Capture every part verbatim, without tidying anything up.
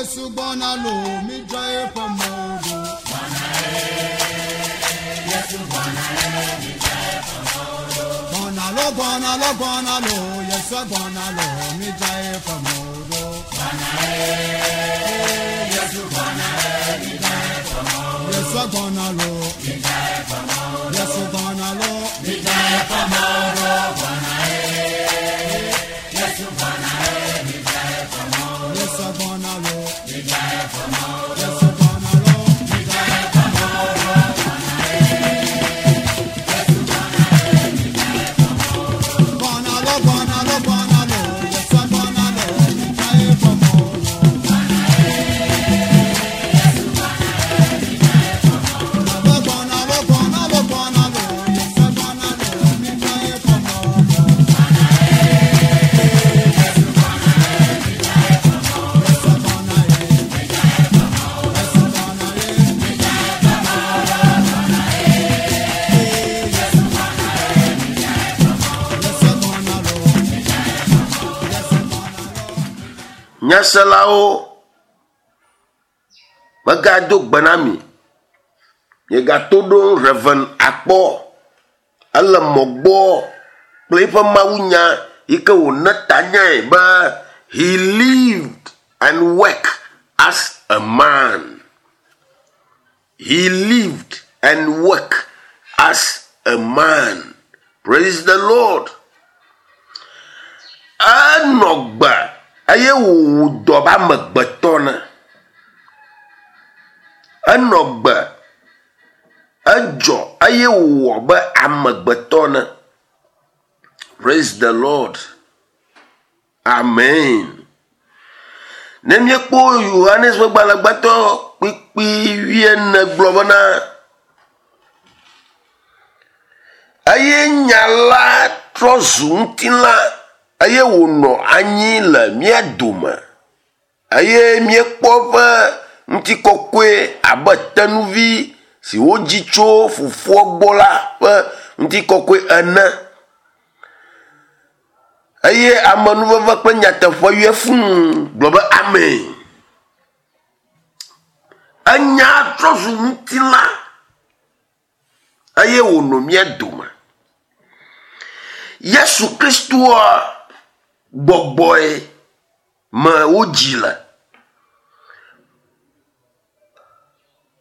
Yesu gbɔna lo, mi dzra eƒe mɔwo ɖo. Gbɔna lo, gbɔna lo, gbɔna lo, Yesu gbɔna lo, mi dzra eƒe mɔwo ɖo. Yesu gbɔna lo, Yesu gbɔna lo, mi dzra eƒe mɔwo ɖo. Yesu gbɔna lo, Yesu gbɔna lo, mi dzra eƒe mɔwo ɖo. Gbɔna lo, gbɔna lo, gbɔna lo, Yesu gbɔna lo, mi dzra eƒe mɔwo ɖo. Gbɔna lo, gbɔna lo, gbɔna lo, Yesu gbɔna lo, mi dzra eƒe mɔwo ɖo. Yesu gbɔna ye, Yesu gbɔna ye, Yesu gbɔna lo, Yesu gbɔna lo. Nyaselawo, megado gbe na mi. Miegato ɖo Reverend akpɔ. Ele mɔ gbɔ kple eƒe mawunya yi ke wòne tanyae be he lived and worked as a man. He lived and worked as a man. Praise the Lord. Enɔ gbe eye wòwɔ dɔ be amegbetɔ ne. Enɔ gbe, edzɔ eye wòwɔ be amegbetɔ ne. Praise the Lord. Amen. Ne míekpɔ Yohanes ƒe gbalẽ gbãtɔ kpukpui wuiene gblɔ bena eye nya la trɔ zu ŋutilã eye wònɔ anyi le mía dome eye míekpɔ eƒe ŋutikɔkɔe abe tenuvi si wodzi tso fofoa gbɔ la ƒe ŋutikɔkɔe ene. Eye amenuveve kple nyateƒe yɔe fũu gblɔ be amen. Enya trɔ zu ŋutilã eye wònɔ mía dome. Yesu Kristoa gbɔgbɔe me wodzi le.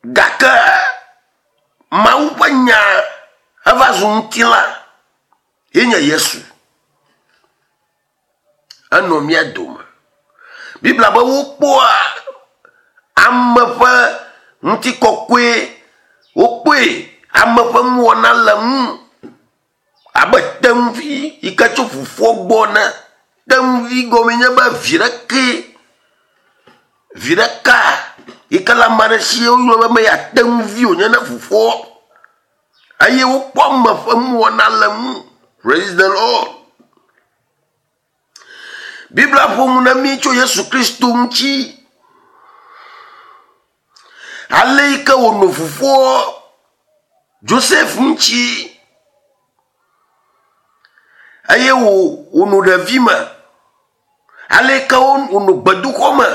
Gake Mawu ƒe nya eva zu ŋutilã ye nye Yesu. Enɔ mía dome. Biblia be wokpɔa ame ƒe ŋutikɔkɔe, wokpɔe ame ƒe nuwɔna le ŋu abe tenuvi yi ke tso fofoa gbɔ ene. Tenuvi gɔmee nye be vi ɖeke, vi ɖeka yi ke le ame aɖe si woyɔna be meya tenuvi wònye ne fofoa. Eye wokpɔ ame ƒe nuwɔna le ŋu. Praise the Lord. Biblia ƒo nu na mí tso Yesu Kristo ŋuti. Ale yi ke wònɔ fofoa Joseph ŋuti eye wò wònɔ ɖevime. Ale yi ke wònɔ gbedoxɔ me.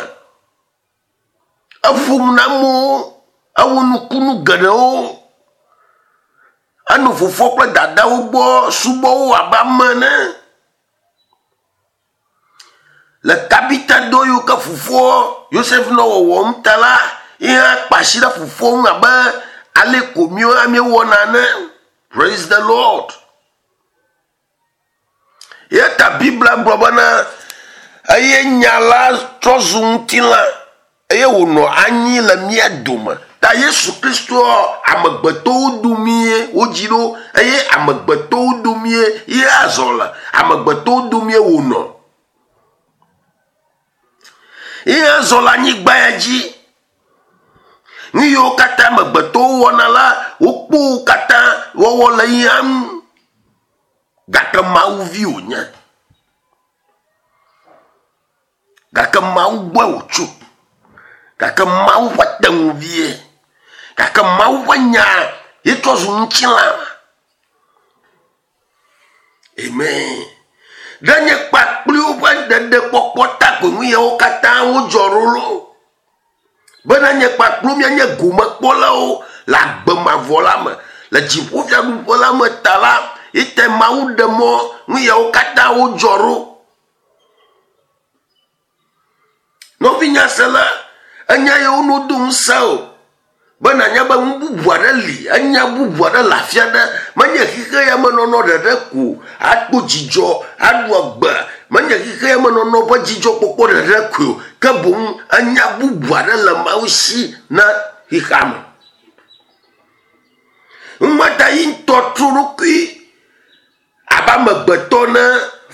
Eƒo nu na amewo, ewɔ nukunu geɖewo. Enɔ fofoa kple dadawo gbɔ subɔ wo abe ame ene. Le kapita dɔ yiwo ke fofoa Yosef nɔ wɔwɔm ta la, ye hã kpe asi ɖe fofoa ŋu abe ale ko míawo hã míewɔna ene. Praise the Lord. Eya ta Biblia gblɔ bena eye nya la trɔ zu ŋutilã eye wònɔ anyi le mía dome. Ta Yesu Kristoa amegbetɔwo domie wodzi ɖo eye amegbetɔwo domie ye azɔ le. Amegbetɔwo domie wònɔ. Ye azɔ le anyigba ya dzi. Nu yiwo katã amegbetɔwo wɔna la, wokpɔ wo katã wɔwɔ le ya ŋu. Gake Mawu vi wònye. Gake Mawu gbɔe wòtso. Gake Mawu ƒe teŋuvie. Gake Mawu ƒe nya ye trɔ zu ŋutilã. Amen. Ɖe nye kpakpliwo ƒe ɖeɖekpɔkpɔ ta ko nu yawo katã wodzɔ ɖo loo. Bena nye kpakplu mianye gomekpɔlawo le agbe mavɔ la me. Le dziƒofiaɖuƒe la me ta la, ite Mawu ɖe mɔ nu yawo katã wodzɔ ɖo. Nɔvinyasela, enya yewo no do ŋusẽ o. Bena nya be nu bubu aɖe li, enya bubu aɖe le afi aɖe. Menye xixe ya me nɔnɔ ɖeɖe ko akpɔ dzidzɔ, aɖu agbe. Menye xixe ya me nɔnɔ ƒe dzidzɔkpɔkpɔ ɖeɖe koe o. Ke boŋ enya bubu aɖe le Mawu si na xixea me. Ŋumata yi ŋutɔ tro ɖokui abe amegbetɔ ne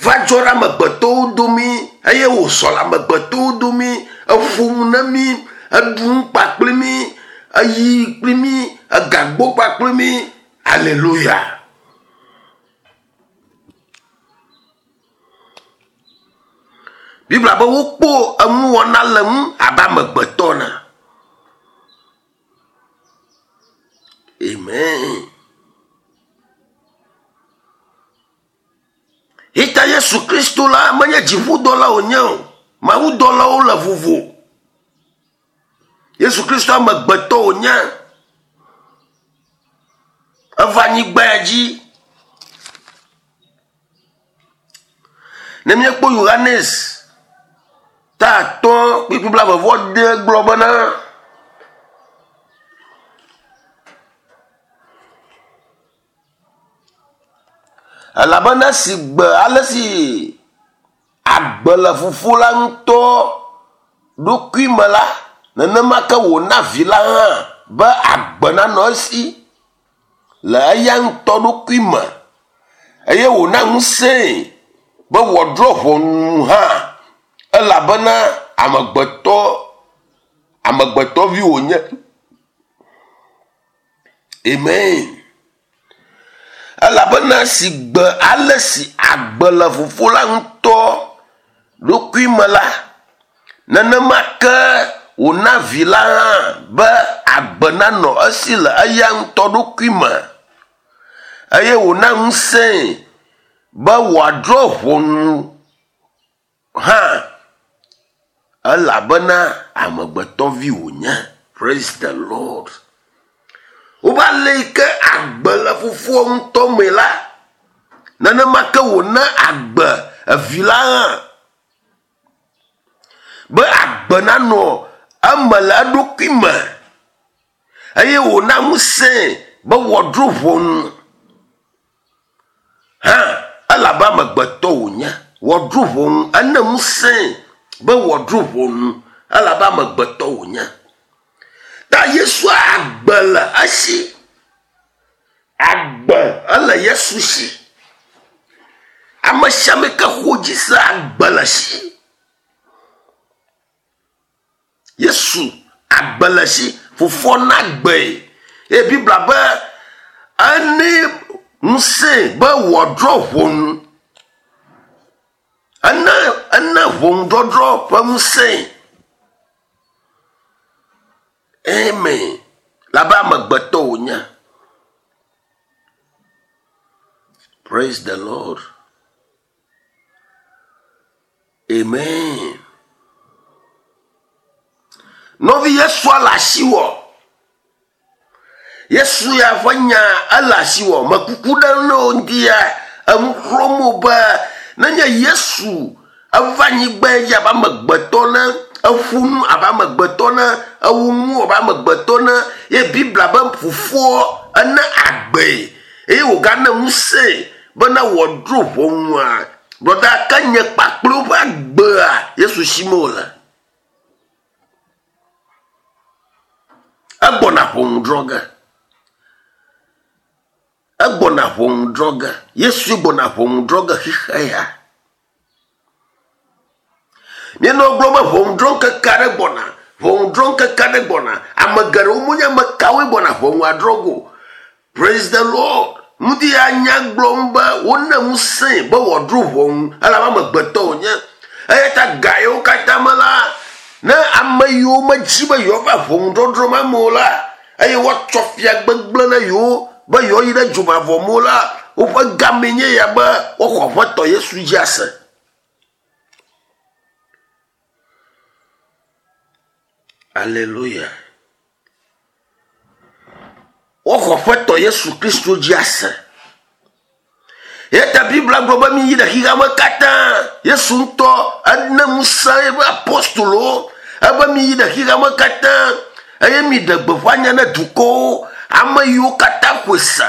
va dzɔ ɖe amegbetɔwo domi eye wòzɔ le amegbetɔwo domi, eƒo nu na mí, eɖu nu kpakple mí, eyi kpli mí, egagbɔ kpakple mí. Alléluia. Biblia be wokpɔ enuwɔna le ŋu abe amegbetɔ ene. Amen. Ita Yesu Kristo la menye dziƒodɔla wònye o. Mawudɔlawo le vovo. Yesu Kristo amegbetɔ wònye. Eva anyigba ya dzi. Ne míekpɔ Yohanes ta atɔ̃ kpukpui blaeve vɔ ade gblɔ bena elabena si gbe ale si agbe le fofo la ŋutɔ ɖokui me la, nenema ke wòna vi la hã be agbe nanɔ esi le eya ŋutɔ ɖokui me eye wòna ŋusẽe be wòadrɔ̃ ʋɔnu hã elabena amegbetɔ amegbetɔvi wònye. Amen. Elabena si gbe ale si agbe le fofo la ŋutɔ ɖokui me la, nenema ke wòna vi la hã be agbe nanɔ esi le eya ŋutɔ ɖokui me eye wòna ŋusẽe be wòadrɔ̃ ʋɔnu hã elabena amegbetɔvi wònye. Praise the Lord. Wobe ale yi ke agbe le fofoa ŋutɔ me la, nenema ke wòna agbe evi la hã be agbe nanɔ eme le eɖokui me eye wòna ŋusẽe be wòadrɔ̃ ʋɔnu hã elabe amegbetɔ wònye. Wòadrɔ̃ ʋɔnu, ene ŋusẽe be wòadrɔ̃ ʋɔnu elabe amegbetɔ wònye. Ta Yesu agbe le esi. Agbe ele Yesu si. Ame sia ame ke xɔ dzi se agbe le esi. Yesu agbe le esi. Fofoa na agbee. Eye Biblia be ene ŋusẽe be wòadrɔ̃ ʋɔnu. Ene ene ʋɔnudɔdrɔ̃ ƒe ŋusẽe. Amen. Labe amegbetɔ wònye. Praise the Lord. Amen. Nɔvi Yesua le asiwò. Yesu ya ƒe nya ele asiwò. Mekuku ɖe ne wo ŋuti ya enu xlɔ̃m wo be nenye Yesu eva anyigba dzi abe amegbetɔ ne, eƒo nu abe amegbetɔ ne, ewu nu abe amegbetɔ ne, ye Biblia be fofoa ene agbee eye wògana ŋusẽe bena wòadrɔ̃ ʋɔnua. Brɔda ke nye kpakple woƒe agbea Yesu si me wòle. Egbɔna ʋɔnu drɔ̃ ge. Egbɔna ʋɔnu drɔ̃ ge. Yesu gbɔna ʋɔnu drɔ̃ ge xixe ya. Míenɔ gblɔm be ʋɔnudrɔ̃ŋkeke aɖe gbɔna, ʋɔnudrɔ̃ŋkeke aɖe gbɔna. Ame geɖewo menye ame kawoe gbɔna ʋɔnua drɔ̃ ge o. Praise the Lord. Ŋdi ya nya gblɔm be wone ŋusẽe be wòadrɔ̃ ʋɔnu elabe amegbetɔ wònye. Eya ta ga yiwo katã me la, ne ame yiwo medzi be yewoava ʋɔnudɔdrɔ̃ ma me o la, eye woatsɔ fia gbegblẽ na yewo be yewoayi ɖe dzomavɔ me o la, woƒe game nye ya be woaxɔ Aƒetɔ Yesu dzi ase. Aleluya. Woxɔ ƒetɔ Yesu Kristo dzi ase. Eya ta Biblia gblɔ be mi yi ɖe xexea me katã. Yesu ŋutɔ ene ŋusẽ eƒe apostolowo ebe mi yi ɖe xexea me katã eye mi ɖe gbeƒã nya ne dukɔwo, ame yiwo katã ƒoe se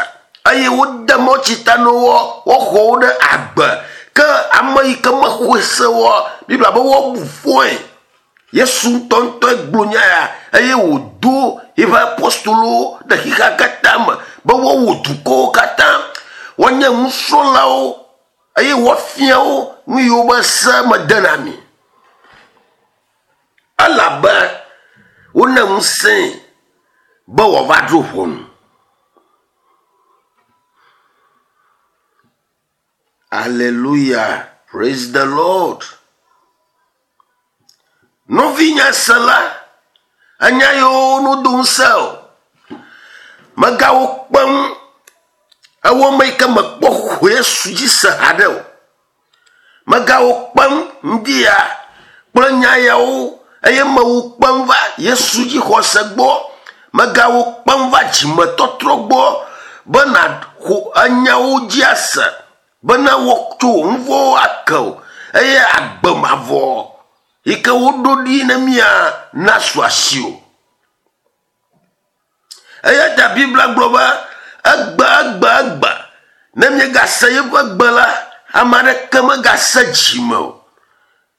eye wode mɔtsi ta na wo, woxɔ wo ɖe agbe. Ke ame yi ke mexɔe se oa, Biblia be woabu fɔe. Yesu ŋutɔŋutɔe gblɔ nya ya eye wòdo eƒe apostolowo ɖe xexea katã me be woawɔ dukɔwo katã, woanye nusrɔ̃lawo eye woafia wo nu yiwo be se mede na mi. Elabe wone ŋusẽe be wòava dro ʋɔnu. Alléluia. Praise the Lord. Nɔvinye se la, enya yiwo no do ŋusẽ o. Megawo kpem ewɔ me yi ke mekpɔ xɔ Yesu dzi se haɖe o. Megawo kpem ŋdi ya kple nya yawo eye mewo kpem va Yesu dzi xɔse gbɔ. Megawo kpem va dzimetɔtrɔ gbɔ be nàxɔ enyawo dzi ase bena woatso wò nu vɔ̃wo ake o eye agbe mavɔ yi ke woɖo ɖi ne mía nasu asi o. Eya ta Biblia gblɔ be egbe, egbe, egbe ne miegase yeƒe gbe la, ame aɖeke megase dzime o.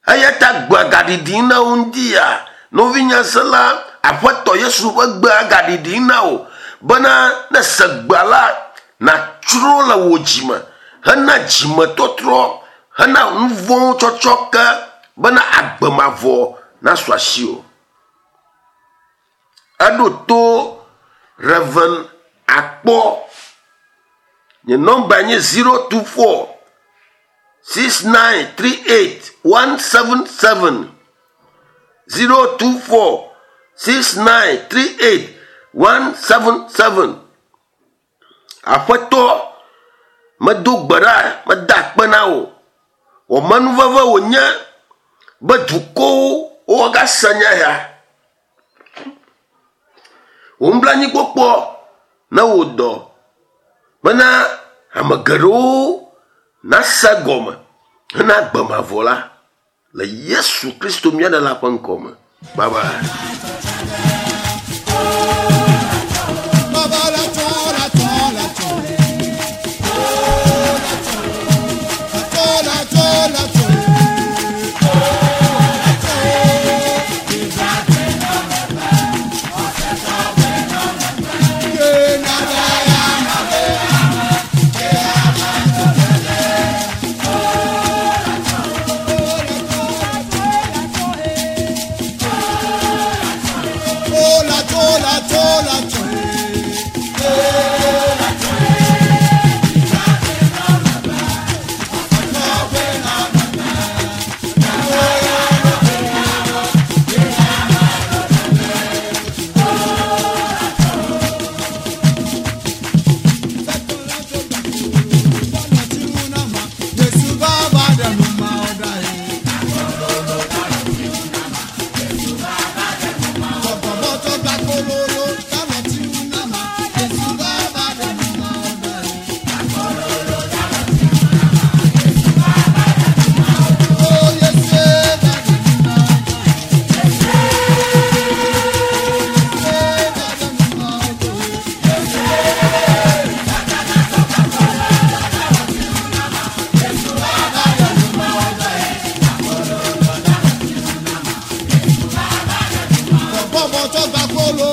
Eya ta gbea gaɖiɖi na wo ŋdi ya. Nɔvinye se la, Aƒetɔ Yesu ƒe gbea gaɖiɖi na wo bena ne se gbea la, nàtsro le wò dzime hena dzimetɔtrɔ, hena nu vɔ̃wo tsɔtsɔ ke bena agbe mavɔ nasu asi o. Eɖo to Reverend Akpɔ. Nye nɔmba nye zero two four six nine three eight one seven seven. Zero two four six nine three eight one seven seven. Aƒetɔ, medo gbe ɖa, meda akpe na wò. Wò menuveve wònye be dukɔwo woagase nya ya. Wò nublanuikpɔkpɔ ne wò dɔ bena ame geɖewo nase gɔme hena agbe mavɔ la le Yesu Kristo mía Ɖela ƒe ŋkɔ me. Bye bye. Baba la tso, la tso, la tso. Oh, la tso. La tso, la tso, la tso. Oh, la tso. Ye na da ya na be. Ye ama to be. Oh, la tso. Oh, la tso, la tso, la tso, eh. Oh, la tso, la tso, la tso, eh. Oh, la tso. Bọ́bọ̀ tó gba kóló.